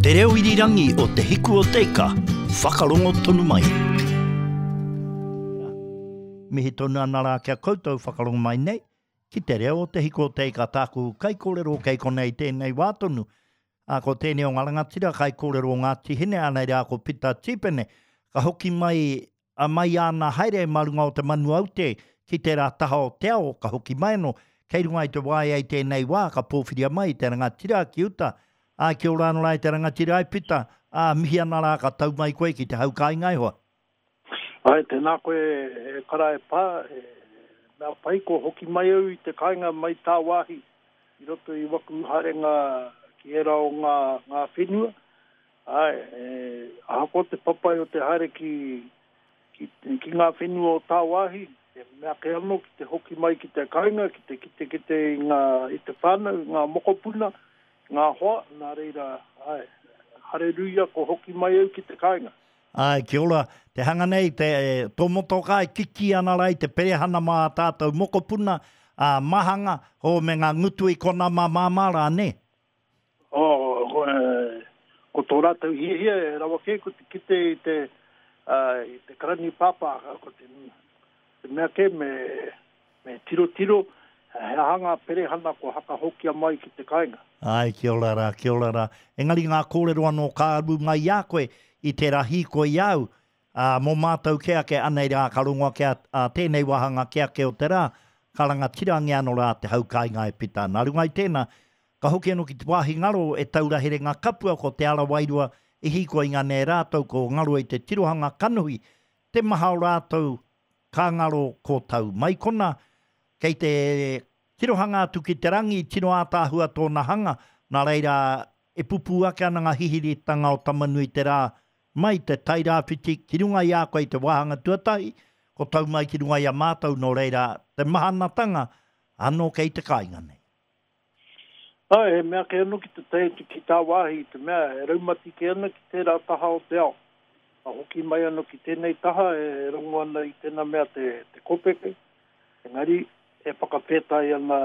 Te reo irirangi o Te Hiku o Te Ika, whakarongo tonu mai. Mihi tonu ana rā ki a koutou whakarongo mai nei, ki te reo o Te Hiku o Te Ika tāku kaikōrero kei konei tēnei wā tonu. Ā, ko tēnei o ngā rangatira kaikōrero o Ngāti Hine, anei rā ko Pita Tīpene, ka hoki mai A mai āna haere mā runga o te manu aute ki tērā taha o te ao, ka hoki mai anō, kei runga i te waea i tēnei wā, ka pōwhiria mai te rangatira ki uta. Ā, kia ora anō rā e te rangatira e Pita, ā, mihi ana rā ka tau mai koe ki te hau kāinga e hoa. Āe, tēnā koe e kara e pā, he mea pai kua hoki mai au i te kāinga mai tāwāhi i roto i waku haerenga ki ērā o ngā, ngā whenua, Āe, ahakoa te papai o te haere ki, ki, ki ngā whenua o tāwāhi, he mea kē anō ki te hoki mai ki te kāinga, ki te kitekite i ngā, i te whānau, i ngā mokopuna, i ngā hoa, nā reira, āe, hareruia kua hoki mai au ki te kāinga. Āe, kia ora. Te hanga nei, te, tō motokā e kikī ana rā i te perehana mā ā tātou mokopuna, ā, mahanga, hō, me ngā ngutu i konā mā māmā rā, nē? Oh, ko, ko tō rātou hiahia e rawa kē ko te kite i te, uh, i te karani pāpā, ko te, te mea kē me, me tirotiro he aha ngā perehana kua hakahokia mai ki te kāinga. Āe, kia ora rā, kia ora rā. Engari ngā kōrero anō ka aru mai i a koe i tērā hīkoi i a au, ā, mō mātou kē ake, anei rā ka rongo ake a tēnei wāhanga kē ake o te rā, ka rangatirangia anō rā te hau kāinga e Pita. Nā runga i tēnā, Ka hoki anō ki te wāhi ngaro e taura herenga kapua ko Te Ara Wairua i hīkoi ngā nei rātou ko ngaro i te tirohanga kanohi te maha o rātou ka ngaro ko tau mai kona kei te tirohanga atu ki te rangi tino ātaahua tōna hanga nā reira e pupū ake ana ngā hihiritanga o Tamanui te Rā mai te Tairāwhiti ki runga i a koe i te wāhanga tuatahi ko tau mai ki runga i a mātou nō reira te mahanatanga anō kei te kāinga nei. Āe, he mea kē anō ki te tae atu ki tāwāhi i te mea e raumati kē ana ki tērā taha o te ao. Ka hoki mai anō ki tēnei taha e rongo ana i tēnā mea te, te kopeke, engari e whakawhētai ana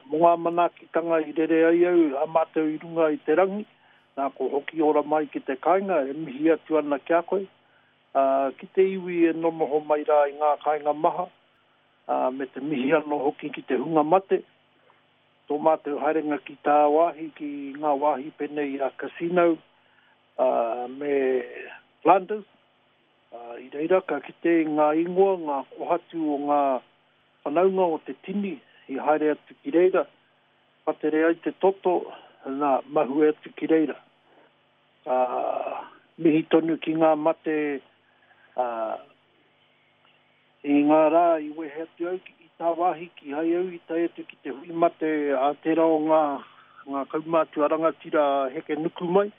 mō ngā manaakitanga i rere ai au, a mātou i runga i te rangi, nā ko hoki ora mai ki te kāinga e mihi atu ana ki a koe, ā, ki te iwi e nonoho mai rā i ngā kāinga maha, ā, me te mihi anō hoki ki te hunga mate, Tō mātou haerenga ki tāwāhi, ki ngā wāhi pēnei i a Cassino me Flanders, i reira ka kite i ngā ingoa, ngā kohatu o ngā whanaunga o te tini i haere atu ki reira, patere ai te toto, nā, mahue atu ki reira. Ka mihi tonu ki ngā mate, ā, I ngā rā i wehe atu au i tāwāhi, kīhai au i tae atu ki te hui mate a tērā o ngā, ngā kaumātua rangatira a Hekenukumai,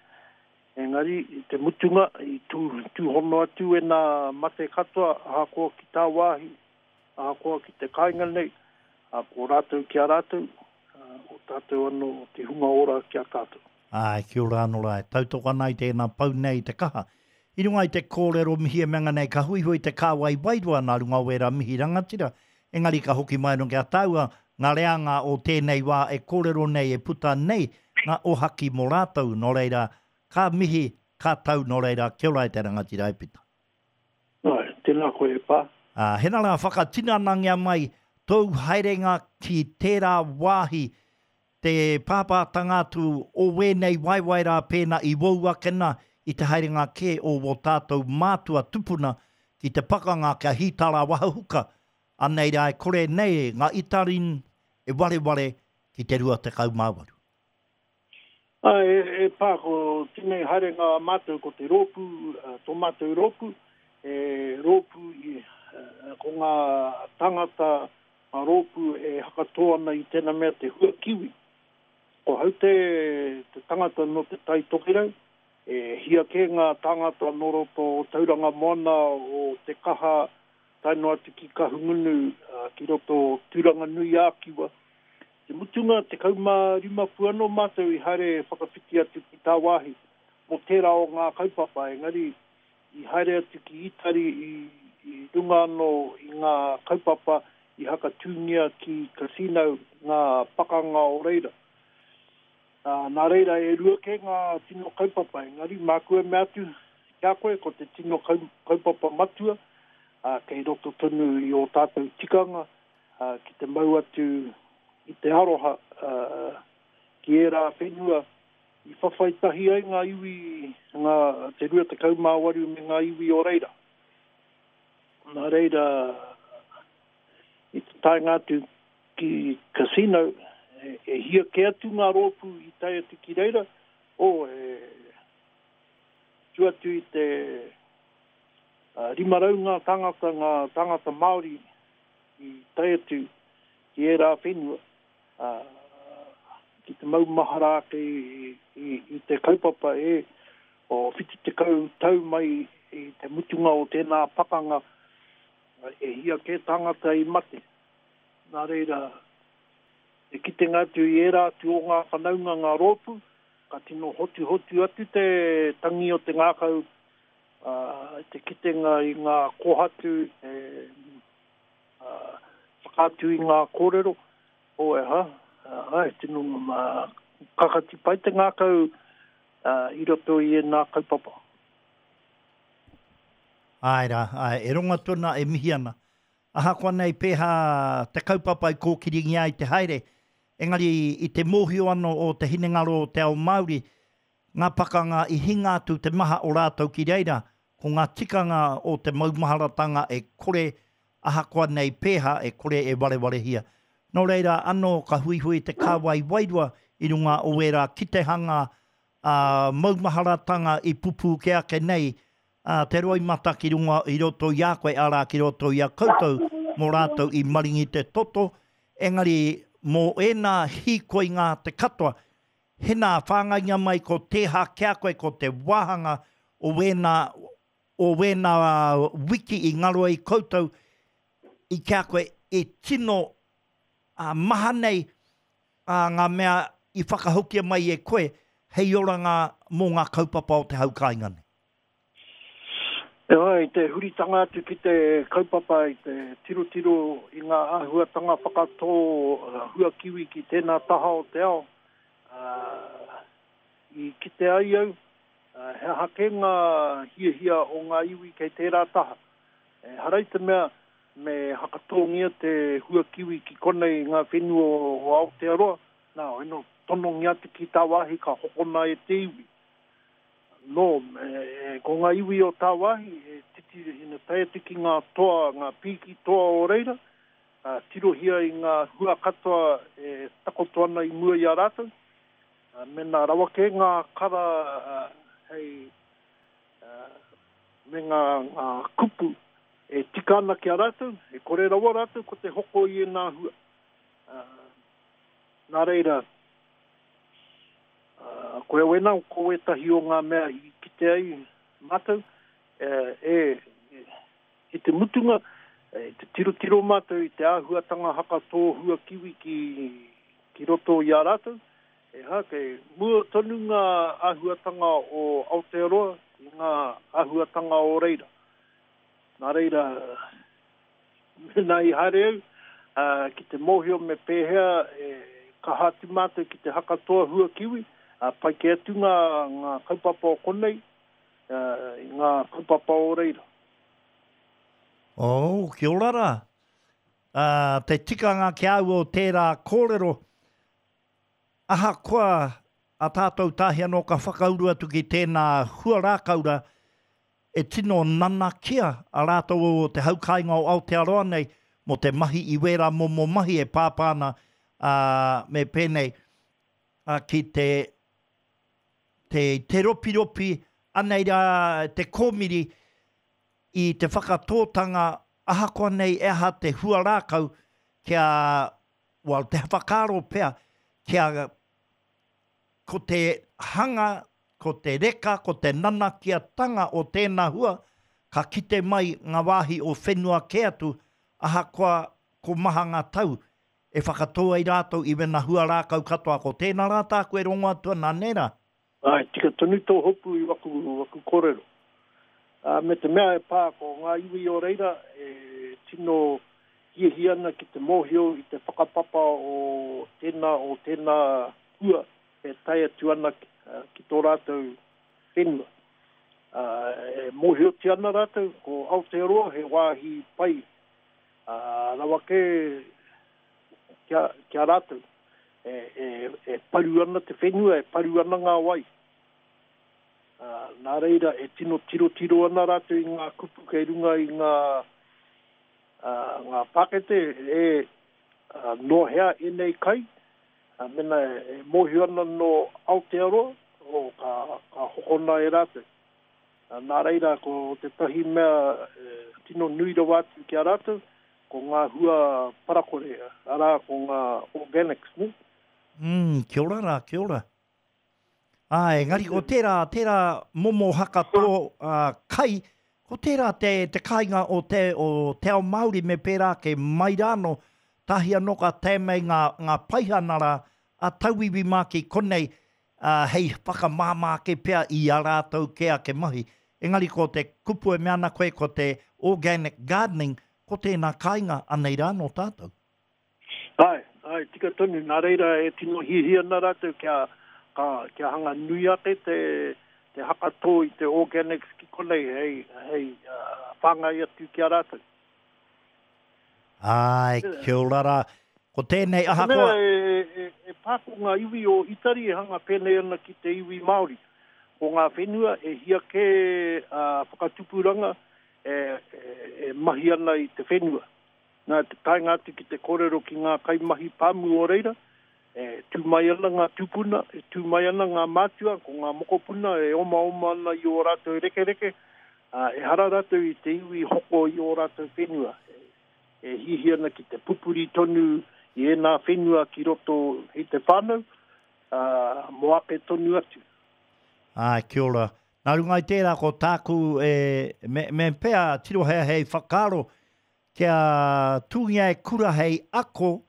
engari i te mutunga i tū, tūhono atu ēnā mate katoa ahakoa ki tāwāhi, ahakoa ki te kāinga nei, ā, ko rātou ki a rātou, ā, ko tātou anō te hunga ora ki a tātou. Āe, kia ora anō rā, e tautoko ana i tēnā pou nei i te kaha. I runga i te kōrero mihi e mea nei ka huihui te kāwai wairua nā runga o ērā mihi rangatira, engari ka hoki mai anō ki a tāua ngā reanga o tēnei wā e kōrero nei e puta nei ngā ohaki mō rātou, nō reira, ka mihi, ka tau, nō reira, kia ora e te rangatira e Pita. Āe, tēnā koe e Pā. Ā, hena rā whakatinanangia mai tōu haerenga ki tērā wāhi Te pāpātanga atu o wēnei waewae rā pēnā i wou ake nā i te haerenga kē o wō tātou mātua tupuna ki te pakanga kia hītara wahahuka, anei rā e kore nei ngā Itarin e wareware ki te 28. Āe, e pā, ko tēnei haerenga a mātou ko te rōpū, tō mātou rōpū, he rōpū i, ko ngā tāngata Ngā rōpū e hakatō ana i tēnā mea te hua kiwi. Ko hau te te tangata nō Te Tai Tokerau, e hia kē ngā tāngata nō roto o Tauranga Moana o Te Kaha tae noa atu ki Kahungunu, ki roto o Tūranganui-ā-Kiwa. Te mutunga, 15 pū anō mātou i haere whakawhiti atu ki tāwāhi mō tērā o ngā kaupapa, engari I haere atu ki Itari i runga anō i ngā kaupapa i hakatūngia ki Cassino, ngā pakanga o reira. Nā reira, e rua kē ngā tino kaupapa, engari māku e mea atu ki a koe, ko te tino kaupapa matua, kei roto tonu i ō tātou tikanga ki te mau atu i te aroha ki ērā whenua i whawhai tahi ai ngā iwi, ngā, te 28 me ngā iwi o reira. Nā reira, i te taenga atu ki Cassino, e hia kē atu ngā rōpū i tae atu ki reira, oh, e tu atu i te 500 ngā tāngata, ngā tāngata Māori i tae atu ki ērā whenua, ki te maumahara ake i te kaupapa e o 70 tau mai i te mutunga o tēnā pakanga, e hia kē tāngata i mate. Nā reira, te kitenga atu i ērā atu o ngā whanaunga, ngā rōpū, ka tino hotuhotu atu te tangi o te ngākau, ā, te kitenga i ngā kōhatu e whakaatu i ngā kōrero, oh e ha, āe, tino kakati pai te ngākau i roto i ēnā kaupapa. Āe rā, āe, e rongo atu ana, e mihi ana. Ahakoa nei pēhā te kaupapa i kōkiringia ai te haere, engari i te mōhio anō o te hinengaro o te ao Māori, ngā pakanga i hinga atu te maha o rātou ki reira, ko ngā tikanga o te maumaharatanga e kore, ahakoa nei pēhā, e kore e warewarehia. Nō reira anō ka huihui te kāwai wairua i runga o ērā kitehanga ā, maumaharatanga i pupū kē ake nei, ā, te roimata ki runga i roto i a koe, arā, ki roto i a koutou, mō rātou i maringi te toto, engari mō ēnā hīkoinga te katoa, hena whāngainga mai ko tēha ki a koe ko te wāhanga o wēnā, o wēnā wiki i ngaro ai koutou i ki a koe e tino ā, maha nei ā, ngā mea i whakahokia mai e koe hei oranga mō ngā kaupapa o te hau kāinga nei. Heoi, i te huritanga atu ki te kaupapa i te tirotiro i ngā āhuatanga whakatō huakiwi ki tēnā taha o te ao, i kite ai au he aha kē ngā hiahia o ngā iwi kei tērā taha. Ehara i te mea me hakatōngia te huakiwi ki konei i ngā whenua o Aotearoa, nā, eno tonongia atu ki tāwāhi ka hokona e te iwi. Nō, ko ngā iwi o tāwāhi e titi ina tae atu ki ngā toa, ngā pīki toa o reira, tirohia i ngā hua katoa e takoto ana i mua i a rātou, mēnā rawa kē ngā kara hei me ngā kupu e tika ana ki a rātou, e kore rawa rātou ko te hoko i ēnā hua. Nā reira, koia wēnā ko wētahi o ngā mea i kite ai mātou, e, i te mutunga, i te tirotiro mātou i te āhuatanga hakatō hua kiwi ki, ki roto i a rātou, E hā, kei mua tonu ngā āhuatanga o Aotearoa i ngā āhuatanga o reira. Nā reira, mēnā i haere au, ki te mōhio me pēhea e kaha atu mātou ki te haka toa hua kiwi, pai kē atu ngā, ngā kaupapa o konei i ngā kaupapa o reira. Oh, kia ora rā. Te tikanga ki a au o tērā kōrero, Ahakoa a tātou tahi anō ka whakauru atu ki tēnā huarākau rā, e tino nanakia a rātou o te hau kāinga o Aotearoa nei mō te mahi i wērā momo mahi e pāpā ana, ā, me pēnei, ā, ki te, te, te ropiropi, anei rā te kōmiri i te whakatōtanga ahakoa nei e aha te huarākau kia Well, te whakaaro pea kia ko te hanga, ko te reka, ko te nanakiatanga o tēnā hua, ka kite mai ngā wāhi o whenua kē atu, ahakoa ko maha ngā tau e whakatō ai rātou i wena hua rākau katoa. Ko tēnā rā tāku e rongo atu ana, nē rā? Āe, tika tonu tō hopu i waku, waku kōrero. Ā, me te mea e pā ko ngā iwi o reira e tino hiahia ana ki te mōhio i te whakapapa o tēnā, o tēnā hua. e tae atu ana ki tō rātou whenua. E mōhiotia ana rātou ko Aotearoa he wāhi pai rawa kē ki a rātou. E paru ana te whenua, e paru ana ngā wai. Nā reira e tino tirotiro ana rātou i ngā kupu kei runga i ngā ngā pākete e nō hea ēnei kai, Mēnā e mōhio ana nō Aotearoa, ka, ka hokona e rātou. Nā reira, ko tētahi mea tino nui rawa atu ki a rātou, ko ngā hua parakore, arā, ko ngā organics, nē? Mm, kia ora rā, kia ora. Āe, engari ko tērā, tērā momo hakatō kai, ko tērā te, te kāinga o te, o te ao Māori me pērā ake mai rānō, tahi anō ka tae mai ngā, ngā paihana rā a tauiwi mā ki konei, ā, hei whakamāmā ake pea i ā rātou kē ake mahi. Engari ko te kupu e mea ana koe ko te organic gardening, ko tēnā kāinga anei rānō tātou. Āe, āe, tika tonu, nā reira e tino hiahia ana rātou kia, ka, kia hanga nui ake te, te hakatō i te organics ki konei hei, hei whāngai atu ki a rātou. Āe, kia ora rā. Ko tēnei ahakoa. Te mea e, e, e pā ko ngā iwi o Itari e hanga pēnei ana ki te iwi Māori. Ko ngā whenua e hia kē ā whakatupuranga e, e, e mahi ana i te whenua. Nā te taenga atu ki te kōrero ki ngā kaimahi pāmu o reira, e tū mai ana ngā tūpuna, e tū mai ana ngā mātua, ko ngā mokopuna e omaoma ana i ō rātou rekereke, ā, ehara rātou i te iwi hoko i ō rātou whenua, e hiahia ana ki te pupuri tonu i ēnā whenua ki roto i te whānau, ā, mō ake tonu atu. Āe, kia ora. Nā runga i tērā, ko tāku e, me, me pea tirohia hei whakaaro Kia tūngia e Kura hei ako,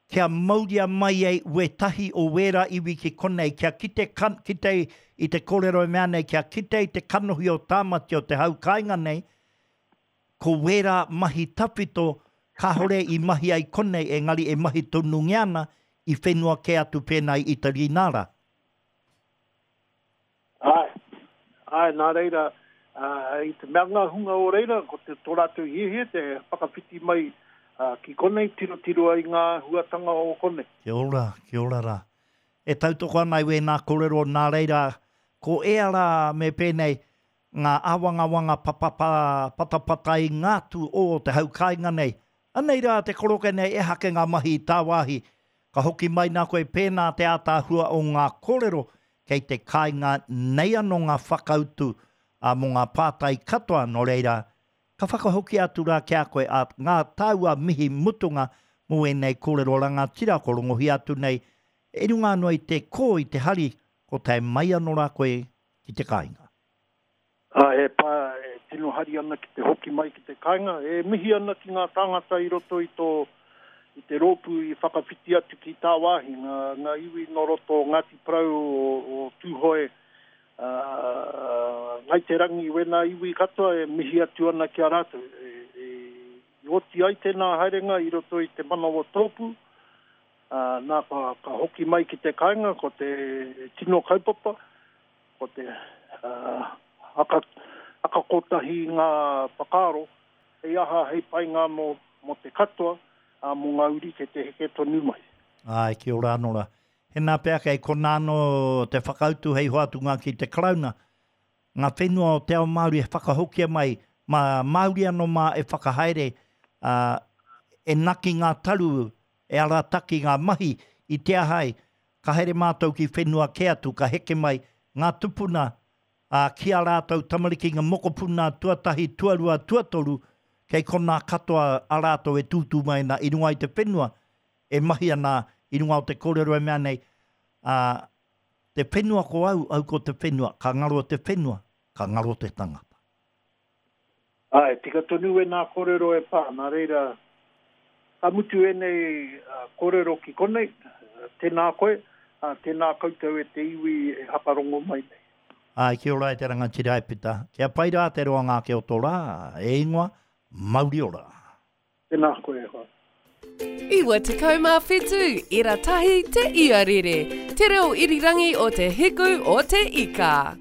kia mauria mai ai wētahi o wērā iwi ki konei, kia kite, kite i te kōrero e mea nei, kia kite i te kanohi o Tāmati o te hau kāinga nei, ko wērā mahi tawhito kāore i mahia i konei engari e mahi tonungia ana i whenua kē atu pēnā i Itari nā rā. Āe, āe, nā reira, i te mea ngā hunga o reira, ko te, tō rātou hiahia te whakawhiti mai ki konei, tirotiro ai ngā āhuatanga o konei. Kia ora, kia ora rā. E tautoko ana i wēnā kōrero, nā reira, ko ea rā me pēnei, ngā āwangawanga papapa, patapatai ngā tū o te hau kāinga nei. Anei rā te koroke nei ehake ngā mahi i tāwāhi, Ka hoki mai nā koe pēnā te ātaahua o ngā kōrero kei te kāinga nei anō ngā whakautu ā mō ngā pātai katoa nō reira ka whakahokia atu rā ki a koe ā ngā tāua mihi mutunga mō ēnei kōrero rangatira ko rongohia atu nei i runga anō i te kō i te hari ko tae mai anō rā koe ki te kāinga. Ā, he pā e tino hari ana ki te hoki mai ki te kāinga, e mihi ana ki ngā tāngata i roto i tō, i te rōpū i whakawhiti atu ki tāwāhi, ngā, ngā iwi nō roto o Ngāti Porou, o, o Tūhoe, ā, Ngāi Te Rangi, wēnā iwi katoa e mihi atu ana ki a rātou. E, e, i oti ai tēnā haerenga i roto i te manawa tōpū, ā, nā, ka, ka hoki mai ki te kāinga, ko te tino kaupapa, Ko te haka, haka kotahi ngā whakaaro, hei aha, hei painga anō mō te katoa, ā, mō ngā uri kei te heke tonu mai. Āe, kia ora anō rā. Hēnā pea kei konā anō te whakautu hei hoatunga ki te Karauna. Ngā whenua o te ao Māori e whakahokia mai, mā Māori anō mā e whakahaere, ā, e naki ngā taru, e arataki ngā mahi i te aha ai, Ka haere mātou ki whenua kē atu, ka heke mai ngā tupuna, ā, ki ā rātou tamariki, ngā mokopuna tuatahi, tuarua, tuatoru, kei konā katoa a rātou e tūtū mai ana i runga i te whenua, e mahi ana i runga o te kōrero e mea nei, ā, te whenua ko au, au ko te whenua, ka ngaro te whenua, ka ngaro te tangata. Āe, tika tonu wēnā kōrero e pā, nā reira, ka mutu ēnei kōrero ki konei, tēnā koe, ā, tēnā koutou e te iwi e hakarongo mai nei. Āe, kia ora e te rangatira e Pita. Kia pai rā te roanga ake o tō rā, e ingoa, mauri ora. Tēnā koe e hoa. 97 ira tahi te iarere, te reo irirangi o te hiku o te ika.